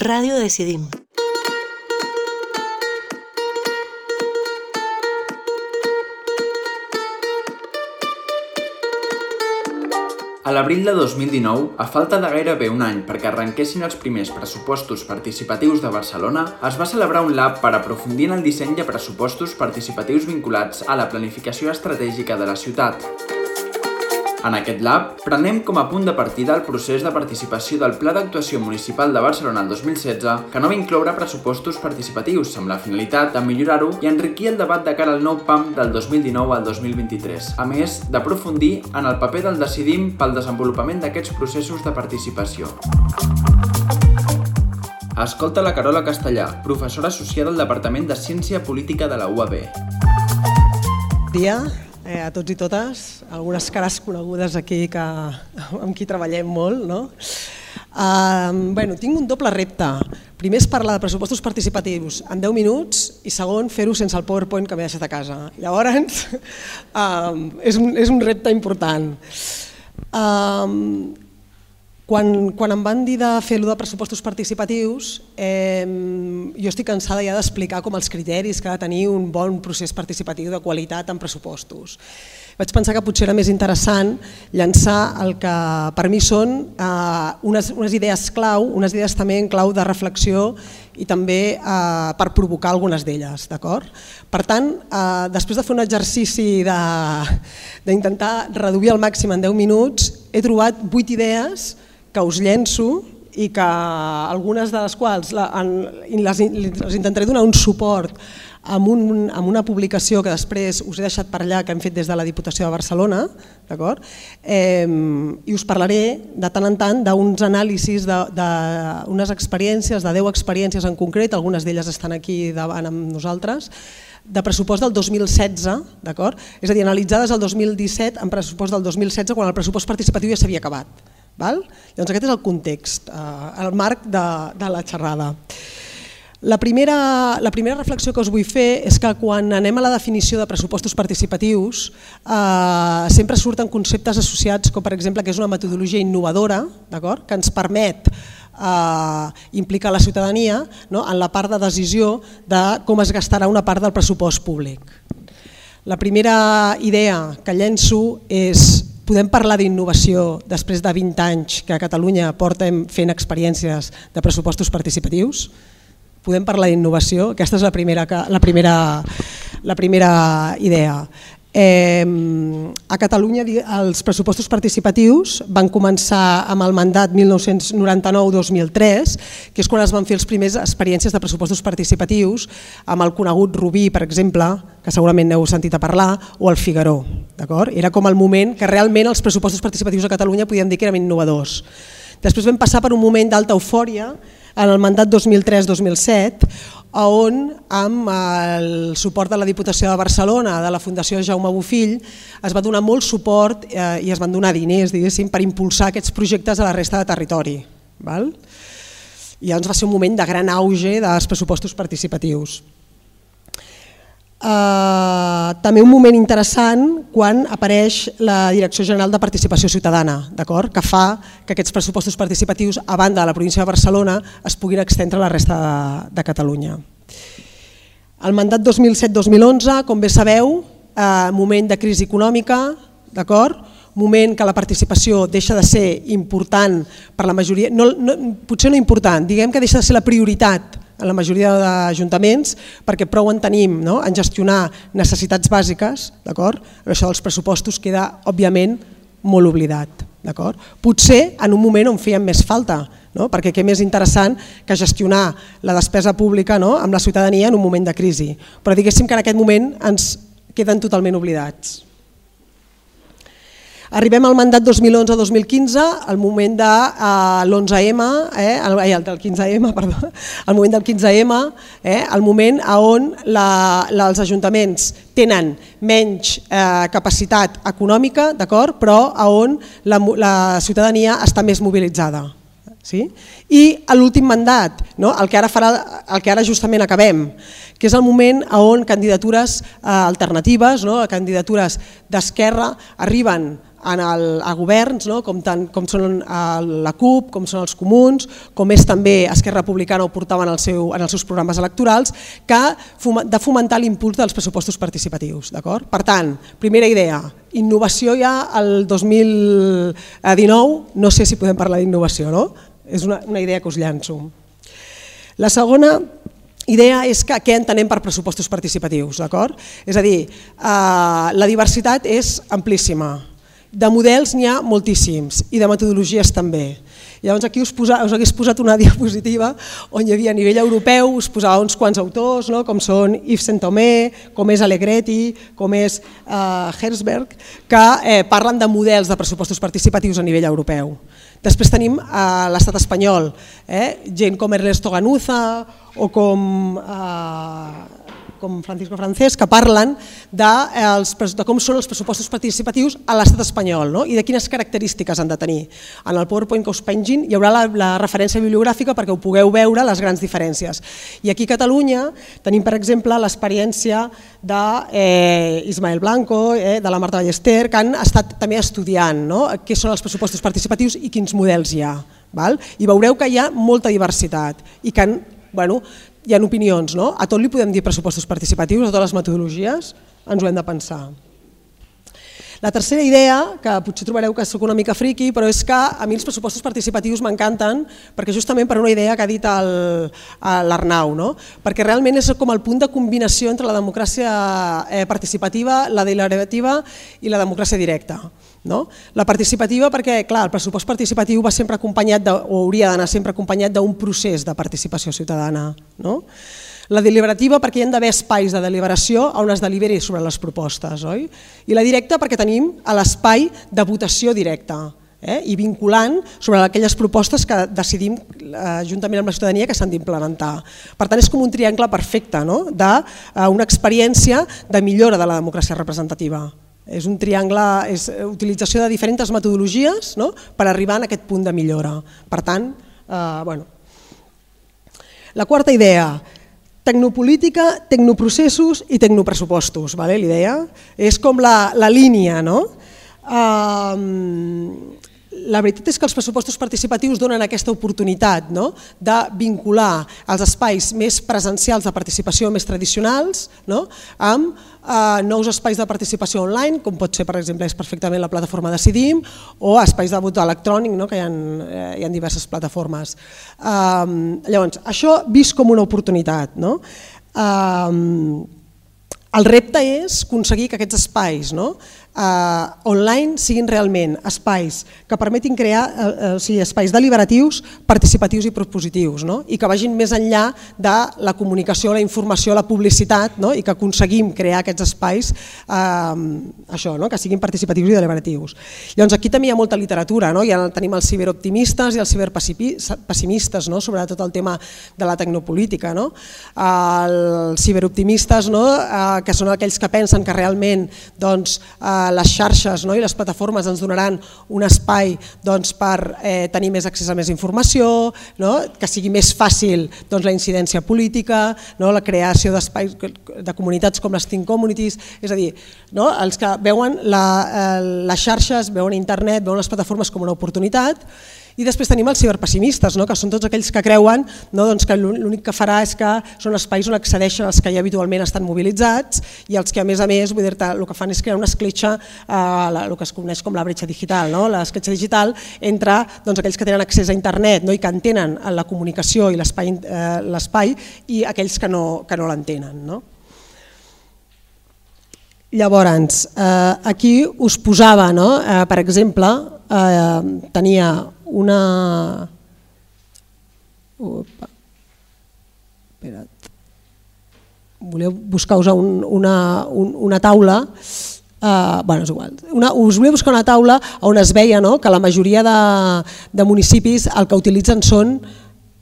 Ràdio Decidim. A l'abril de 2019, a falta de gairebé un any perquè arrenquessin els primers pressupostos participatius de Barcelona, es va celebrar un lab per aprofundir en el disseny de pressupostos participatius vinculats a la planificació estratègica de la ciutat. En aquest lab, prenem com a punt de partida el procés de participació del Pla d'Actuació Municipal de Barcelona el 2016, que no va incloure pressupostos participatius amb la finalitat de millorar-ho i enriquir el debat de cara al nou PAM del 2019 al 2023, a més d'aprofundir en el paper del Decidim pel desenvolupament d'aquests processos de participació. Escolta la Carola Castellà, professora associada al Departament de Ciència Política de la UAB. Dia a tots i totes, algunes cares conegudes aquí amb qui treballem molt, no? Tinc un doble repte. Primer és parlar de pressupostos participatius en 10 minuts i segon, fer-ho sense el PowerPoint que m'he deixat a casa. Llavors, és un repte important. Quan em van dir de fer-ho de pressupostos participatius, jo estic cansada ja d'explicar com els criteris que ha de tenir un bon procés participatiu de qualitat en pressupostos. Vaig pensar que potser era més interessant llançar el que per mi són unes idees clau, unes idees també en clau de reflexió i també per provocar algunes d'elles. Per tant, després de fer un exercici d'intentar reduir al màxim en 10 minuts, he trobat 8 idees que us llenço i que algunes de les quals les intentaré donar un suport amb una publicació que després us he deixat per allà que hem fet des de la Diputació de Barcelona, i us parlaré de tant en tant d'uns anàlisis d'unes experiències, de 10 experiències en concret, algunes d'elles estan aquí davant amb nosaltres, de pressupost del 2016, és a dir, analitzades el 2017 en pressupost del 2016 quan el pressupost participatiu ja s'havia acabat. Llavors aquest és el context, el marc de la xerrada. La primera reflexió que us vull fer és que quan anem a la definició de pressupostos participatius sempre surten conceptes associats com per exemple que és una metodologia innovadora que ens permet implicar la ciutadania en la part de decisió de com es gastarà una part del pressupost públic. La primera idea que llenço és: podem parlar d'innovació després de 20 anys que a Catalunya portem fent experiències de pressupostos participatius? Podem parlar d'innovació? Aquesta és la primera idea. A Catalunya els pressupostos participatius van començar amb el mandat 1999-2003, que és quan es van fer les primeres experiències de pressupostos participatius amb el conegut Rubí, per exemple, que segurament n'heu sentit a parlar, o el Figaró. Era com el moment que realment els pressupostos participatius a Catalunya podíem dir que eren innovadors. Després vam passar per un moment d'alta eufòria en el mandat 2003-2007, on amb el suport de la Diputació de Barcelona, de la Fundació Jaume Bofill, es va donar molt suport i es van donar diners per impulsar aquests projectes a la resta de territori. I llavors va ser un moment de gran auge dels pressupostos participatius. També un moment interessant quan apareix la Direcció General de Participació Ciutadana, que fa que aquests pressupostos participatius a banda de la província de Barcelona es puguin estendre a la resta de Catalunya. El mandat 2007-2011, com bé sabeu, moment de crisi econòmica, moment que la participació deixa de ser important per la majoria, potser no important, diguem que deixa de ser la prioritat en la majoria d'ajuntaments perquè prou en tenim en gestionar necessitats bàsiques, però això dels pressupostos queda òbviament molt oblidat. Potser en un moment on feien més falta, perquè què més interessant que gestionar la despesa pública amb la ciutadania en un moment de crisi, però diguéssim que en aquest moment ens queden totalment oblidats. Arribem al mandat 2011-2015, al moment l'11M, del 15M, perdó, al moment del 15M, el moment on els ajuntaments tenen menys capacitat econòmica, però on la ciutadania està més mobilitzada. I l'últim mandat, el que ara justament acabem, que és el moment on candidatures alternatives, candidatures d'esquerra, arriben a governs, com són la CUP, com són els Comuns, com és també Esquerra Republicana ho portaven en els seus programes electorals, de fomentar l'impuls dels pressupostos participatius. Per tant, primera idea, innovació ja al 2019, no sé si podem parlar d'innovació, no? És una idea que us llanço. La segona idea és que què entenem per pressupostos participatius, d'acord? És a dir, la diversitat és amplíssima, de models n'hi ha moltíssims i de metodologies també. Llavors aquí us hagués posat una diapositiva on hi havia a nivell europeu, us posava uns quants autors, com són Yves Saint-Thomé, com és Allegretti, com és Herzberg, que parlen de models de pressupostos participatius a nivell europeu. Després tenim l'estat espanyol, gent com Ernesto Ganuza o com Francisco Francés, que parlen de com són els pressupostos participatius a l'estat espanyol i de quines característiques han de tenir. En el PowerPoint que us pengin hi haurà la referència bibliogràfica perquè ho pugueu veure les grans diferències. I aquí a Catalunya tenim, per exemple, l'experiència d'Ismael Blanco, de la Marta Ballester, que han estat també estudiant què són els pressupostos participatius i quins models hi ha. I veureu que hi ha molta diversitat i que hi ha opinions, a tot li podem dir pressupostos participatius, a totes les metodologies, ens ho hem de pensar. La tercera idea, que potser trobareu que soc una mica friqui, però és que a mi els pressupostos participatius m'encanten perquè justament per una idea que ha dit l'Arnau, perquè realment és com el punt de combinació entre la democràcia participativa, la deliberativa i la democràcia directa. La participativa perquè, clar, el pressupost participatiu va sempre acompanyat, o hauria d'anar sempre acompanyat d'un procés de participació ciutadana. La deliberativa perquè hi ha d'haver espais de deliberació on es deliberi sobre les propostes, oi? I la directa perquè tenim l'espai de votació directa i vinculant sobre aquelles propostes que decidim juntament amb la ciutadania que s'han d'implementar. Per tant, és com un triangle perfecte d'una experiència de millora de la democràcia representativa. És un triangle, és utilització de diferents metodologies per arribar a aquest punt de millora. Per tant, la quarta idea, tecnopolítica, tecnoprocessos i tecnopressupostos. L'idea és com la línia. La veritat és que els pressupostos participatius donen aquesta oportunitat de vincular els espais més presencials de participació més tradicionals amb nous espais de participació online, com pot ser, per exemple, és perfectament la plataforma Decidim, o espais de vot electrònic, que hi ha diverses plataformes. Llavors, això vist com una oportunitat. El repte és aconseguir que aquests espais online siguin realment espais que permetin crear espais deliberatius, participatius i propositius i que vagin més enllà de la comunicació, la informació, la publicitat i que aconseguim crear aquests espais que siguin participatius i deliberatius. Llavors aquí també hi ha molta literatura, ja tenim els ciberoptimistes i els ciberpessimistes sobre tot el tema de la tecnopolítica. Els ciberoptimistes que són aquells que pensen que realment les xarxes i les plataformes ens donaran un espai per tenir més accés a més informació, que sigui més fàcil la incidència política, la creació d'espais de comunitats com les Teen Communities, és a dir, els que veuen les xarxes, veuen internet, veuen les plataformes com una oportunitat. I després tenim els ciberpessimistes, que són tots aquells que creuen que l'únic que farà és que són espais on accedeixen els que ja habitualment estan mobilitzats i els que a més el que fan és crear una escletxa, el que es coneix com la bretxa digital, l'escletxa digital entre aquells que tenen accés a internet i que entenen la comunicació i l'espai i aquells que no l'entenen. Llavors, aquí us posava, per exemple, tenia una... Voleu buscar-vos una taula, és igual, us volia buscar una taula on es veia que la majoria de municipis el que utilitzen són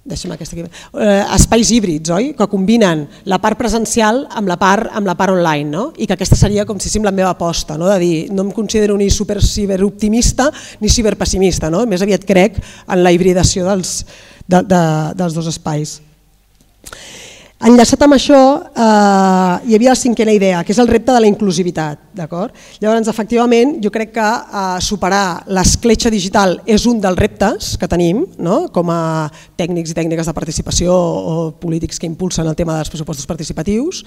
espais híbrids, que combinen la part presencial amb la part online, i que aquesta seria com si la meva aposta, de dir, no em considero ni ciberoptimista ni ciberpessimista, més aviat crec en la hibridació dels dos espais. Enllaçat amb això, hi havia la cinquena idea, que és el repte de la inclusivitat. Llavors, efectivament, jo crec que superar l'escletxa digital és un dels reptes que tenim, com a tècnics i tècniques de participació o polítics que impulsen el tema dels pressupostos participatius,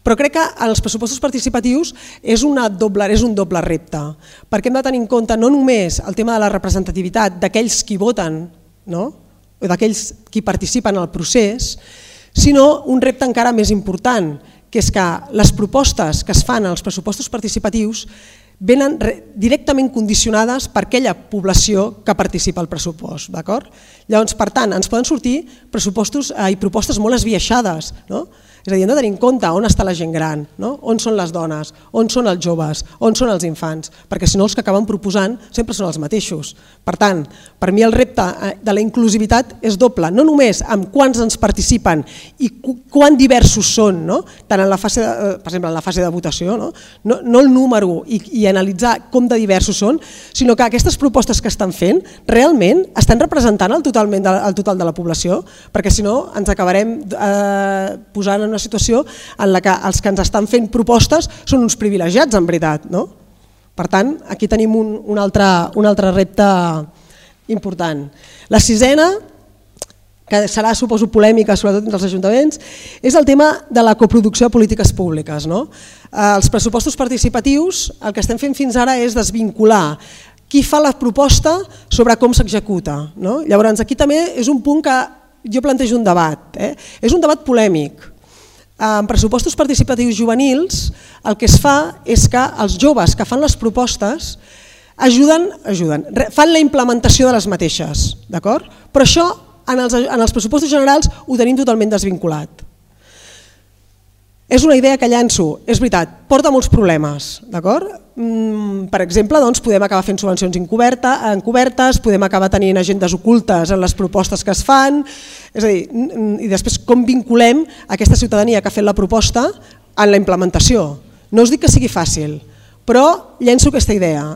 però crec que els pressupostos participatius és un doble repte, perquè hem de tenir en compte no només el tema de la representativitat d'aquells qui voten, o d'aquells qui participen en el procés, sinó un repte encara més important, que és que les propostes que es fan als pressupostos participatius venen directament condicionades per aquella població que participa al pressupost. Llavors, per tant, ens poden sortir propostes molt esbiaixades, és a dir, hem de tenir en compte on està la gent gran, on són les dones, on són els joves, on són els infants, perquè si no els que acaben proposant sempre són els mateixos. Per tant, per mi el repte de la inclusivitat és doble, no només amb quants ens participen i quan diversos són, tant en la fase, per exemple, en la fase de votació, no el número i analitzar com de diversos són, sinó que aquestes propostes que estan fent realment estan representant el total de la població, perquè si no ens acabarem posant en una situació en la que els que ens estan fent propostes són uns privilegiats en veritat. Per tant, aquí tenim un altre repte important. La sisena, que serà, suposo, polèmica sobretot entre els ajuntaments, és el tema de la coproducció de polítiques públiques. Els pressupostos participatius, el que estem fent fins ara és desvincular qui fa la proposta sobre com s'executa. Llavors, aquí també és un punt que jo plantejo un debat. És un debat polèmic. En pressupostos participatius juvenils el que es fa és que els joves que fan les propostes fan la implementació de les mateixes, però això en els pressupostos generals ho tenim totalment desvinculat. És una idea que llanço, és veritat, porta molts problemes. Per exemple, podem acabar fent subvencions encobertes, podem acabar tenint agendes ocultes en les propostes que es fan, és a dir, i després com vinculem aquesta ciutadania que ha fet la proposta en la implementació. No us dic que sigui fàcil, però llenço aquesta idea,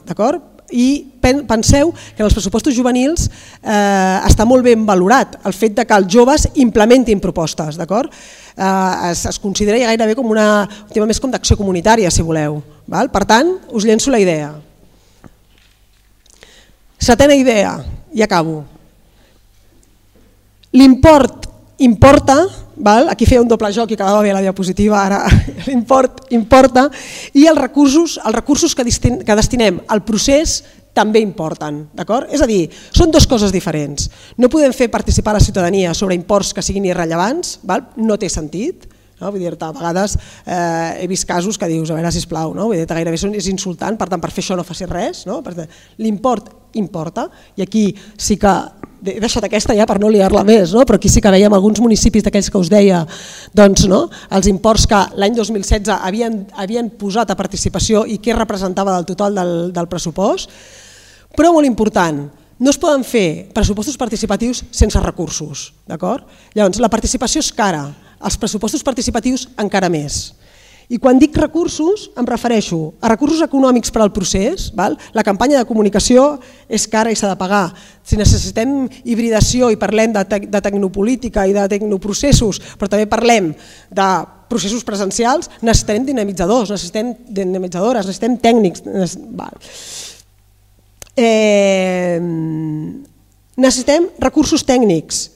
i penseu que en els pressupostos juvenils està molt ben valorat el fet que els joves implementin propostes. Es considera gairebé com un tema més com d'acció comunitària, si voleu. Per tant, us llenço la idea. Setena idea, i acabo. L'import importa, aquí feia un doble joc i quedava bé la diapositiva, ara l'import importa, i els recursos que destinem al procés també importen. És a dir, són dues coses diferents. No podem fer participar la ciutadania sobre imports que siguin irrellevants, no té sentit. A vegades he vist casos que dius, a veure, sisplau, gairebé és insultant, per tant, per fer això no facis res. L'import importa, i aquí sí que he deixat aquesta ja per no liar-la més, però aquí sí que veiem alguns municipis d'aquells que us deia, els imports que l'any 2016 havien posat a participació i què representava del total del pressupost, però molt important, no es poden fer pressupostos participatius sense recursos. Llavors, la participació és cara, els pressupostos participatius encara més. I quan dic recursos em refereixo a recursos econòmics per al procés, la campanya de comunicació és cara i s'ha de pagar. Si necessitem hibridació i parlem de tecnopolítica i de tecnoprocessos, però també parlem de processos presencials, necessitem dinamitzadors, necessitem dinamitzadores, necessitem tècnics. Necessitem recursos tècnics.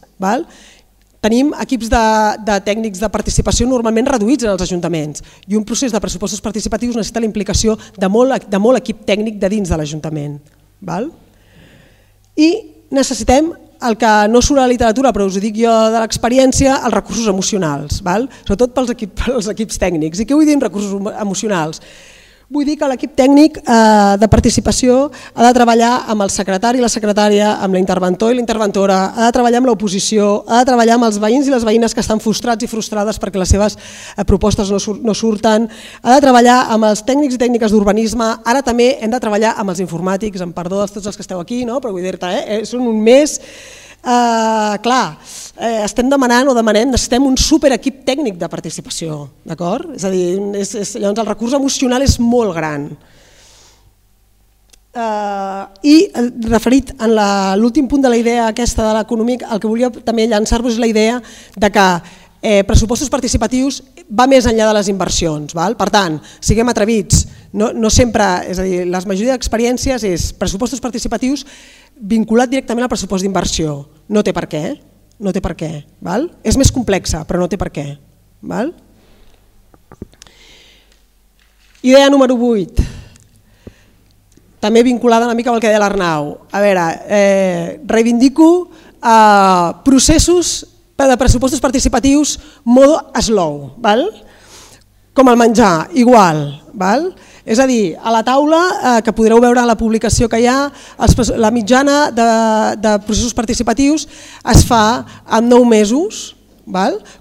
Tenim equips de tècnics de participació normalment reduïts en els ajuntaments i un procés de pressupostos participatius necessita la implicació de molt equip tècnic de dins de l'Ajuntament. I necessitem el que no surt a la literatura, però us ho dic jo de l'experiència, els recursos emocionals, sobretot pels equips tècnics. I què vull dir amb recursos emocionals? Vull dir que l'equip tècnic de participació ha de treballar amb el secretari i la secretària, amb l'interventor i la interventora, ha de treballar amb l'oposició, ha de treballar amb els veïns i les veïnes que estan frustrats i frustrades perquè les seves propostes no surten, ha de treballar amb els tècnics i tècniques d'urbanisme, ara també hem de treballar amb els informàtics, amb perdó de tots els que esteu aquí, però vull dir-te, són un mes... Clar, estem demanant o demanem, necessitem un superequip tècnic de participació, d'acord? És a dir, llavors el recurs emocional és molt gran. I referit a l'últim punt de la idea aquesta de l'econòmic, el que volia també llançar-vos és la idea de que pressupostos participatius va més enllà de les inversions. Per tant, siguem atrevits. No sempre, és a dir, la majoria d'experiències és pressupostos participatius vinculat directament al pressupost d'inversió. No té per què. No té per què. És més complexa, però no té per què. Idea número 8. També vinculada una mica amb el que deia l'Arnau. A veure, reivindico processos de pressupostos participatius modo slow, com el menjar, igual. És a dir, a la taula, que podreu veure a la publicació que hi ha, la mitjana de processos participatius es fa en 9 mesos.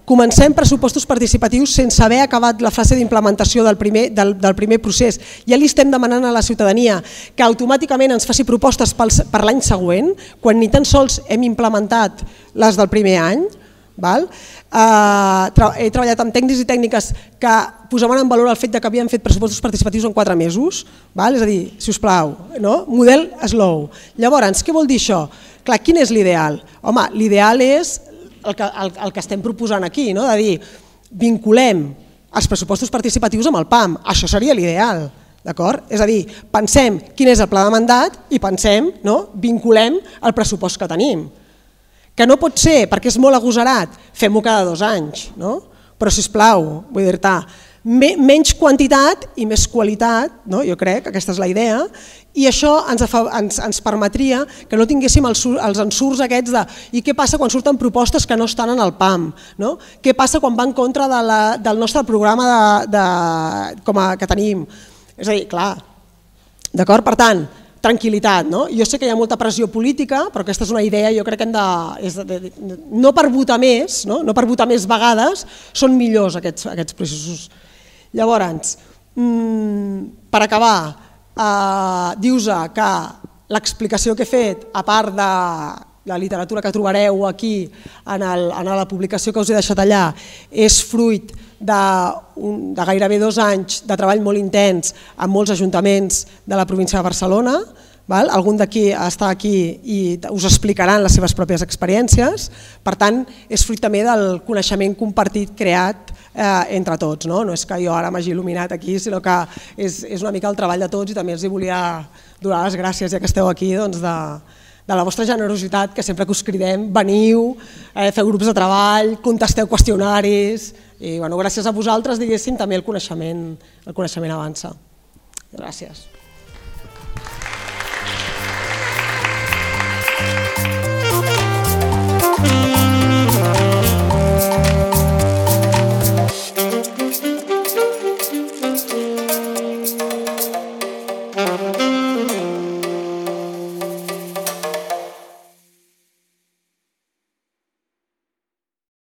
Comencem pressupostos participatius sense haver acabat la fase d'implementació del primer procés. Ja li estem demanant a la ciutadania que automàticament ens faci propostes per l'any següent, quan ni tan sols hem implementat les del primer any. He treballat amb tècnics i tècniques que posaven en valor el fet que havien fet pressupostos participatius en 4 mesos. És a dir, sisplau, model slow. Llavors, què vol dir això? Clar, quin és l'ideal? Home, l'ideal és el que estem proposant aquí, de dir, vinculem els pressupostos participatius amb el PAM. Això seria l'ideal. És a dir, pensem quin és el pla de mandat i pensem, vinculem el pressupost que tenim. Que no pot ser, perquè és molt agosarat, fem-ho cada 2 anys, però sisplau, vull dir-te, menys quantitat i més qualitat, jo crec que aquesta és la idea, i això ens permetria que no tinguéssim els ensurts aquests de i què passa quan surten propostes que no estan en el PAM, què passa quan va en contra del nostre programa que tenim. És a dir, clar, d'acord? Per tant, tranquil·litat. Jo sé que hi ha molta pressió política, però aquesta és una idea, jo crec que hem de... No per votar més, no per votar més vegades, són millors aquests processos. Llavors, per acabar, dius que l'explicació que he fet, a part de la literatura que trobareu aquí en la publicació que us he deixat allà, és fruit de gairebé 2 anys de treball molt intens amb molts ajuntaments de la província de Barcelona. Algun d'aquí està aquí i us explicaran les seves pròpies experiències. Per tant, és fruit també del coneixement compartit creat entre tots. No és que jo ara m'hagi il·luminat aquí, sinó que és una mica el treball de tots i també els volia donar les gràcies, ja que esteu aquí, de la vostra generositat, que sempre que us cridem veniu, feu grups de treball, contesteu qüestionaris i gràcies a vosaltres, diguéssim, també el coneixement avança. Gràcies.